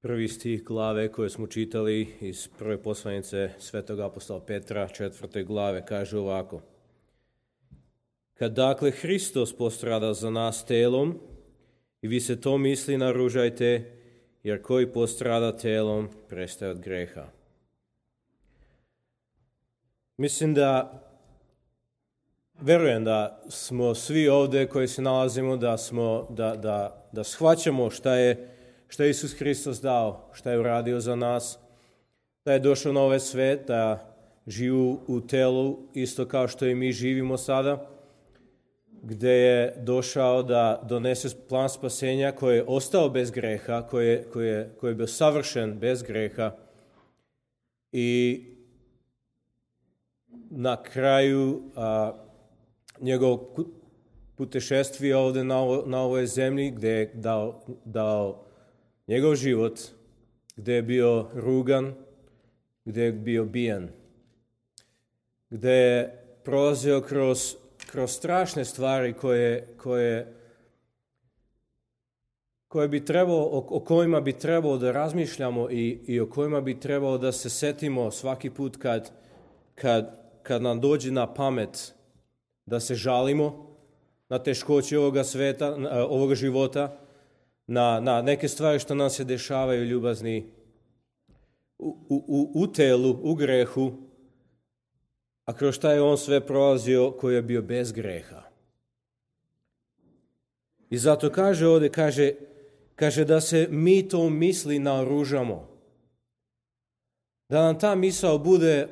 prvi stih glave koje smo čitali iz prve poslanice svetog apostola Petra, 4. glave, kaže ovako. Kad dakle Hristos postrada za nas telom, i vi se to misli naružajte, jer koji postrada telom prestaje od greha. Mislim verujem da smo svi ovdje koji se nalazimo, da shvaćamo šta je Isus Hristos dao, šta je uradio za nas, da je došao na ovaj svet, da živi u telu isto kao što i mi živimo sada, gdje je došao da donese plan spasenja koji je ostao bez greha, koji je bio savršen bez greha i na kraju njegovog putešestvija ovdje na ovoj zemlji, gdje je dao njegov život, gdje je bio rugan, gdje je bio bijen, gdje je prolazio kroz strašne stvari koje bi trebalo, o kojima bi trebalo da razmišljamo i o kojima bi trebalo da se setimo svaki put kad nam dođe na pamet da se žalimo na teškoće ovoga života, na neke stvari što nam se dešavaju ljubazni u telu, u grehu, a kroz šta je on sve prolazio koji je bio bez greha. I zato kaže ovdje, kaže da se mi to misli naoružamo. Da nam ta misao bude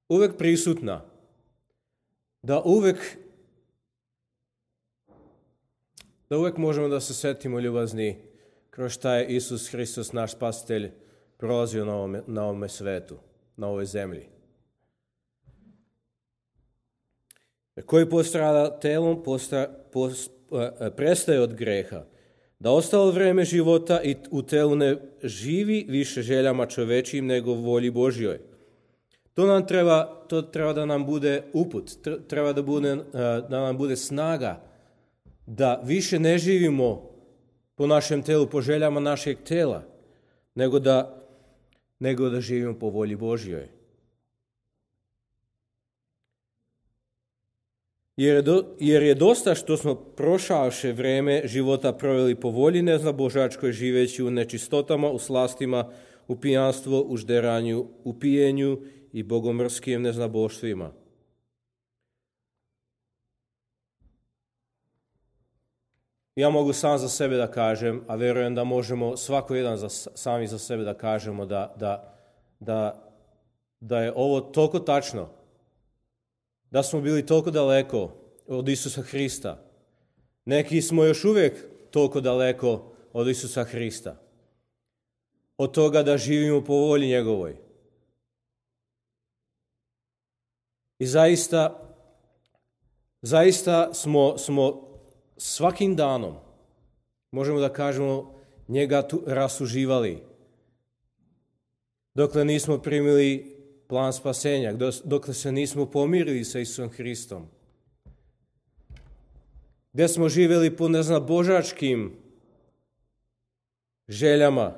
uvek prisutna. Da uvek možemo da se setimo ljubazni kroz šta je Isus Hristos, naš spasitelj, prolazio na ovome svetu, na ovoj zemlji. Koji postrada telom prestaje od greha, da ostalo vrijeme života i u telu ne živi više željama čovečijim nego volji Božjoj. To treba da nam bude uput, treba da nam bude snaga da više ne živimo po našem telu, po željama našeg tela, nego da živimo po volji Božjoj. Jer je dosta što smo prošavše vrijeme života proveli po volji neznabožačkoj, živeći u nečistotama, u slastima, u pijanstvu, u žderanju, u pijenju i bogomrskim neznaboštvima. Ja mogu sam za sebe da kažem, a verujem da možemo svako jedan sami za sebe da kažemo da je ovo toliko tačno, da smo bili toliko daleko od Isusa Hrista. Neki smo još uvijek toliko daleko od Isusa Hrista. Od toga da živimo po volji njegovoj. I zaista smo svakim danom, možemo da kažemo, njega rasuživali. Dokle nismo primili plan spasenja, dokle se nismo pomirili sa Isusom Hristom. Gdje smo živjeli po neznabožačkim željama.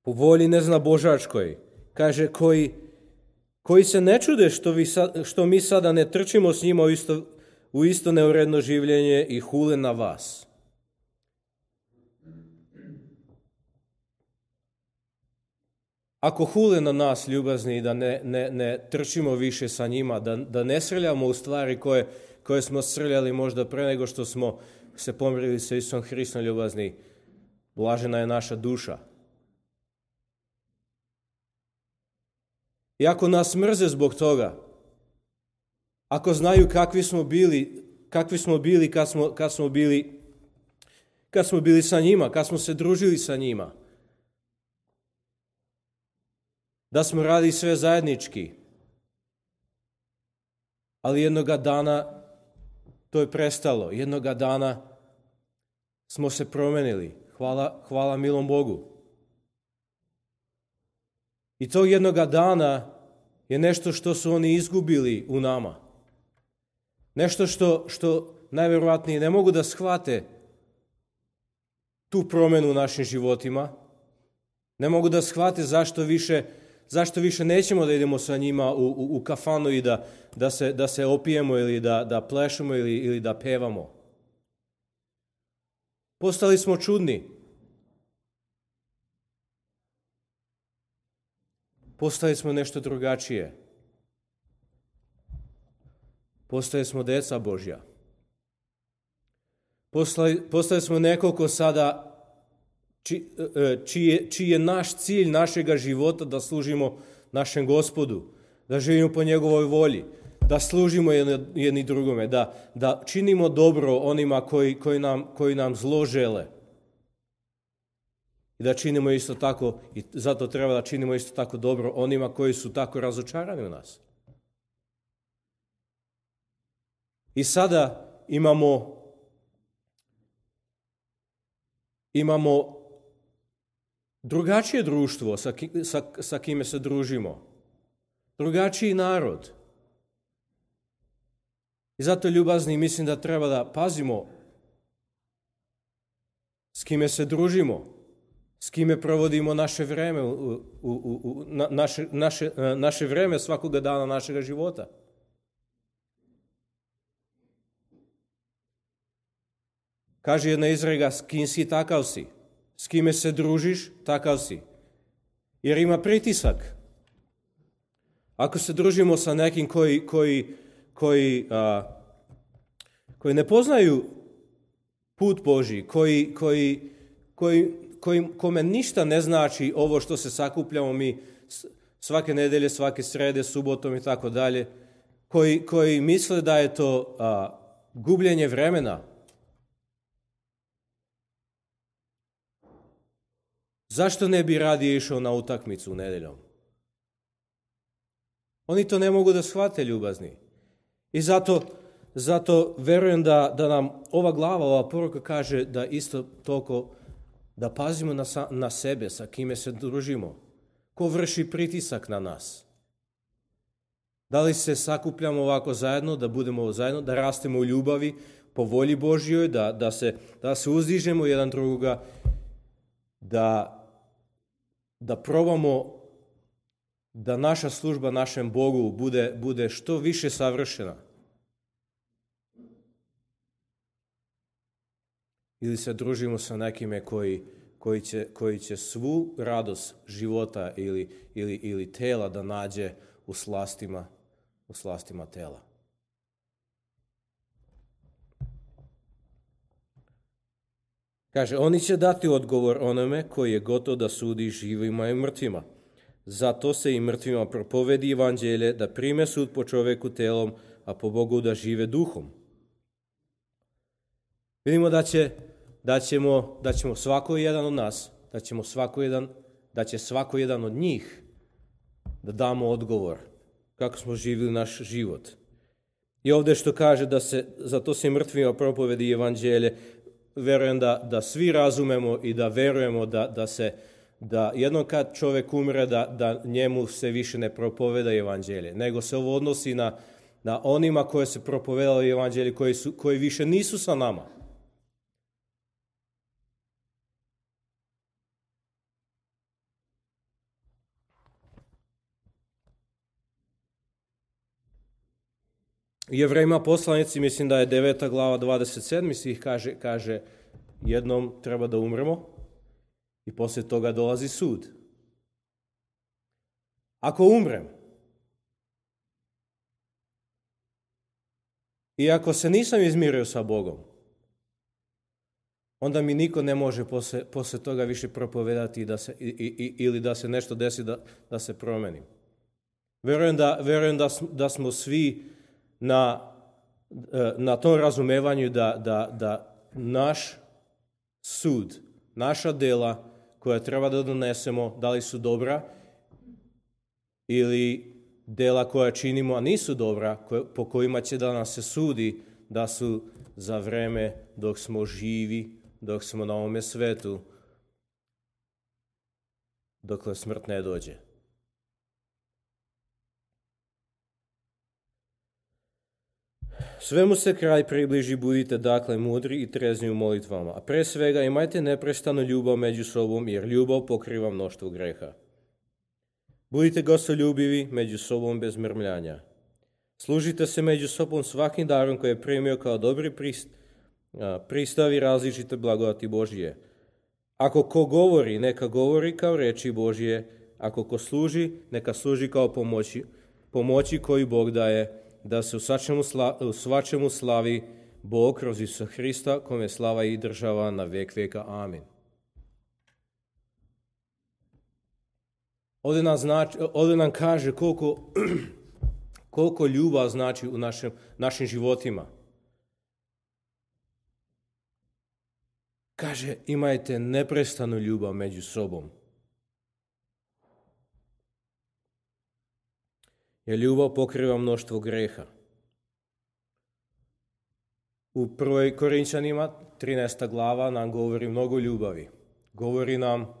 Po volji neznabožačkoj. Kaže, koji se ne čude što mi sada ne trčimo s njima u isto neuredno življenje i hule na vas. Ako hule na nas, ljubazni, da ne trčimo više sa njima, da ne srljamo u stvari koje smo srljali možda pre nego što smo se pomirili sa Isusom Hristom, ljubazni, blažena je naša duša. I ako nas mrze zbog toga, ako znaju kakvi smo bili kad smo bili sa njima, kad smo se družili sa njima, da smo radili sve zajednički, ali jednoga dana to je prestalo, jednoga dana smo se promenili, hvala milom Bogu. I tog jednoga dana je nešto što su oni izgubili u nama. Nešto što najvjerojatnije ne mogu da shvate tu promjenu u našim životima. Ne mogu da shvate zašto više nećemo da idemo sa njima u kafanu i da se opijemo ili da plešemo ili da pevamo. Postali smo čudni. Postali smo nešto drugačije. Postali smo deca Božja. Postali smo nekoliko sada čiji je naš cilj našega života da služimo našem Gospodu, da živimo po njegovoj volji, da služimo jedni drugome, da činimo dobro onima koji nam zlo žele. I da činimo isto tako, i zato treba da činimo isto tako dobro onima koji su tako razočarani u nas. I sada imamo drugačije društvo sa kime se družimo. Drugačiji narod. I zato, ljubazni, mislim da treba da pazimo s kime se družimo, s kime provodimo naše vreme, naše vreme svakoga dana našega života. Kaže jedna izreka, s kim si, takav si. S kime se družiš, takav si. Jer ima pritisak. Ako se družimo sa nekim koji ne poznaju put Božji, kome ništa ne znači ovo što se sakupljamo mi svake nedelje, svake srede, subotom i tako dalje, koji misle da je to gubljenje vremena. Zašto ne bi radije išao na utakmicu nedeljom? Oni to ne mogu da shvate, ljubazni. I zato verujem da nam ova glava, ova poruka kaže da isto toliko da pazimo na sebe, sa kime se družimo. Ko vrši pritisak na nas? Da li se sakupljamo ovako zajedno, da budemo zajedno, da rastemo u ljubavi, po volji Božjoj, da se uzdižemo jedan drugoga, da probamo da naša služba našem Bogu bude što više savršena. Ili se družimo sa nekime koji će svu radost života ili tela da nađe u slastima tela. Kaže, oni će dati odgovor onome koji je gotov da sudi živima i mrtvima. Zato se i mrtvima propovedi evanđelje da prime sud po čoveku telom, a po Bogu da žive duhom. Vidimo da ćemo svako jedan od nas, da će svako jedan od njih da damo odgovor kako smo živjeli naš život. I ovdje što kaže zato se i mrtvima propovedi evanđelje, verujem da svi razumemo i da verujemo da jednom kad čovjek umre da njemu se više ne propoveda evanđelje, nego se ovo odnosi na onima koje se propovedali evanđelje koji više nisu sa nama. Jevrejima poslanici, mislim da je 9. glava 27. stih kaže jednom treba da umremo i poslije toga dolazi sud. Ako umrem i ako se nisam izmirio sa Bogom, onda mi niko ne može poslije toga više propovedati ili da se nešto desi da se promenim. Verujem da smo svi na tom razumevanju da naš sud, naša dela koja treba da donesemo, da li su dobra ili dela koja činimo, a nisu dobra, po kojima će da nas se sudi, da su za vreme dok smo živi, dok smo na ovome svetu, dokle smrt ne dođe. Svemu se kraj približi, budite dakle mudri i trezni u molitvama, a pre svega imajte neprestanu ljubav među sobom, jer ljubav pokriva mnoštvo greha. Budite gostoljubivi među sobom bez mrmljanja. Služite se među sobom svakim darom koji je primio kao dobri pristavi različite blagodati Božije. Ako ko govori, neka govori kao reči Božije, ako ko služi, neka služi kao pomoći koju Bog daje, da se u svačemu slavi Bog kroz Isusa Hrista, kome slava i država na vek veka. Amin. Ovdje nam kaže koliko ljubav znači u našim životima. Kaže, imajte neprestanu ljubav među sobom. Jer ljubav pokriva mnoštvo greha. U 1. Korinčanima 13. glava nam govori mnogo ljubavi. Govori nam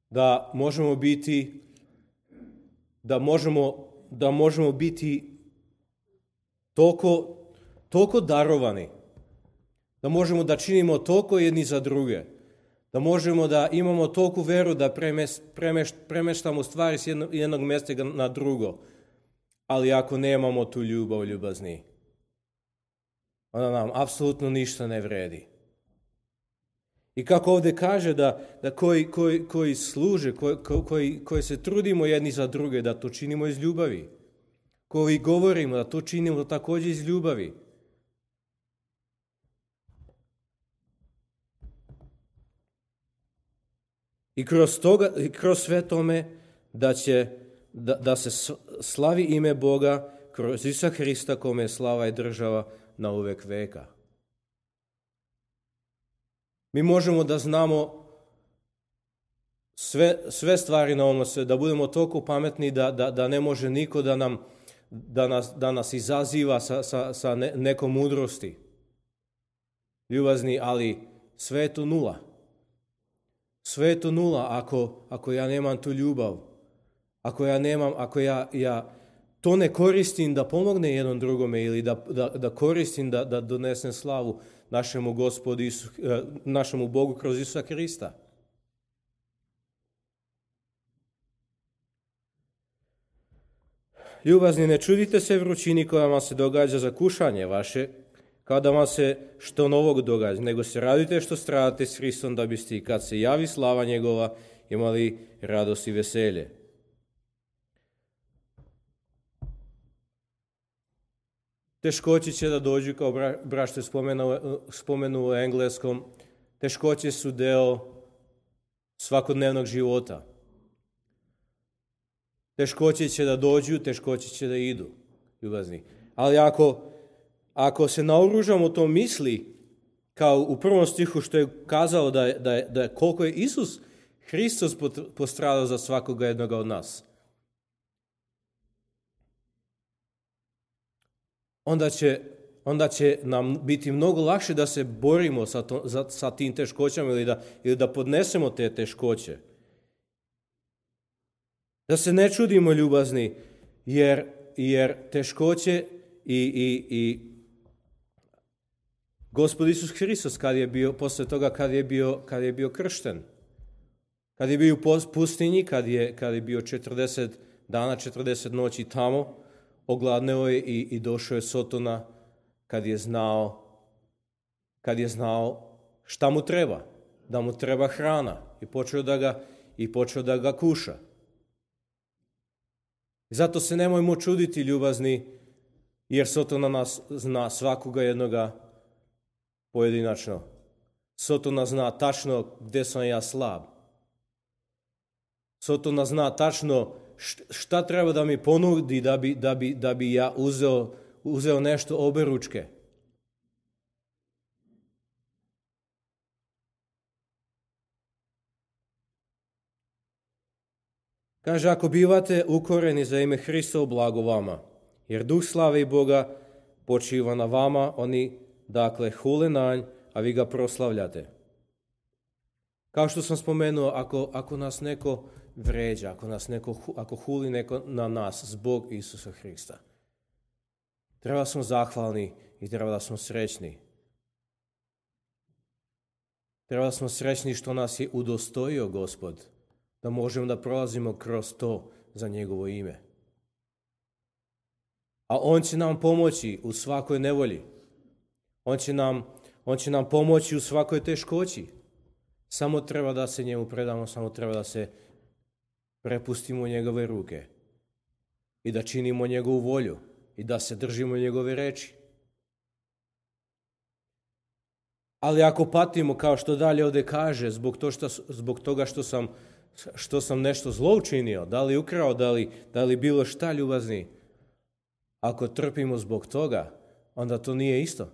da možemo biti toliko darovani, da možemo da činimo toliko jedni za druge, da možemo da imamo toliku veru da premeštamo stvari s jednog mjesta na drugo. Ali ako nemamo tu ljubazni, onda nam apsolutno ništa ne vredi. I kako ovdje kaže da koji služe, koji se trudimo jedni za druge, da to činimo iz ljubavi. Koji govorimo, da to činimo također iz ljubavi. I kroz sve tome da se slavi ime Boga kroz Isusa Hrista, kome je slava i država na uvek veka. Mi možemo da znamo sve stvari na ovom svijetu, da budemo toliko pametni da ne može niko da nas izaziva sa nekom mudrosti. Ljubazni, ali sve je to nula. Sve je to nula ako ja nemam tu ljubav. Ako ja to ne koristim da pomogne jednom drugome ili da koristim da donesem slavu našemu Gospodu našemu Bogu kroz Isusa Hrista. Ljubazni, ne čudite se vrućini koja vam se događa za kušanje vaše, kao da vam se što novog događa, nego se radite što stradate s Hristom, da biste i kad se javi slava njegova imali radost i veselje. Teškoće će da dođu, kao brašte spomenu u engleskom, teškoće su deo svakodnevnog života. Teškoće će da dođu, teškoće će da idu, ljubazni. Ali ako se naoružamo to misli, kao u prvom stihu što je kazao da koliko je Isus Hristos postradao za svakoga jednoga od nas, onda će nam biti mnogo lakše da se borimo sa tim teškoćama ili da podnesemo te teškoće. Da se ne čudimo, ljubazni, jer teškoće i Gospod Isus Hristos posle toga kad je bio kršten, kad je bio u pustinji, kad je bio 40 dana, 40 noći tamo, ogladneo je i došao je Sotona kad je znao šta mu treba, da mu treba hrana i počeo da ga kuša. Zato se nemojmo čuditi, ljubazni, jer Sotona nas zna svakoga jednoga pojedinačno. Sotona zna tačno gdje sam ja slab. Sotona zna tačno šta treba da mi ponudi da bi ja uzeo nešto oberučke. Kaže, ako bivate ukoreni za ime Hristovo, blago vama, jer duh slave i Boga počiva na vama, oni dakle hule na nj, a vi ga proslavljate. Kao što sam spomenuo, ako nas neko vređa, ako huli neko na nas zbog Isusa Hrista, Treba da smo zahvalni i treba da smo srećni. Treba da smo srećni što nas je udostojio Gospod, da možemo da prolazimo kroz to za njegovo ime. A on će nam pomoći u svakoj nevolji. On će nam pomoći u svakoj teškoći. Samo treba da se njemu predamo, samo treba da se prepustimo u njegove ruke i da činimo njegovu volju i da se držimo njegove reči. Ali ako patimo, kao što dalje ovdje kaže, zbog toga što sam nešto zlo učinio, da li ukrao, da li bilo šta ljubazni, ako trpimo zbog toga, onda to nije isto.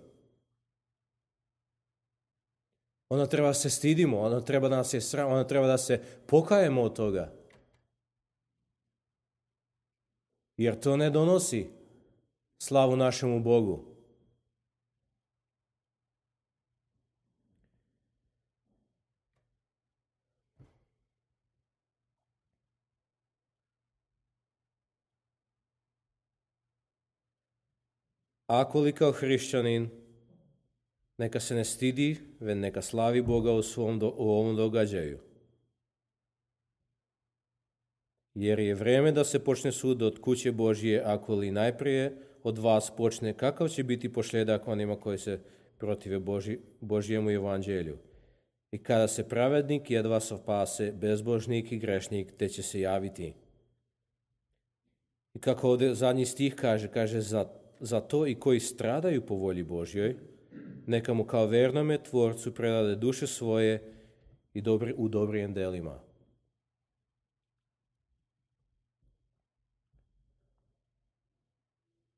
Onda treba se stidimo, onda treba da se sram, onda treba da se pokajemo od toga. Jer to ne donosi slavu našemu Bogu. Ako li kao hrišćanin, neka se ne stidi, već neka slavi Boga u ovom događaju. Jer je vrijeme da se počne sud od kuće Božje, ako li najprije od vas počne, kakav će biti posljedak onima koji se protive Božjemu evanđelju. I kada se pravednik jedva spase, bezbožnik i grešnik, te će se javiti. I kako ovdje zadnji stih kaže za to i koji stradaju po volji Božjoj, neka mu kao vernome tvorcu predade duše svoje i u dobrim delima.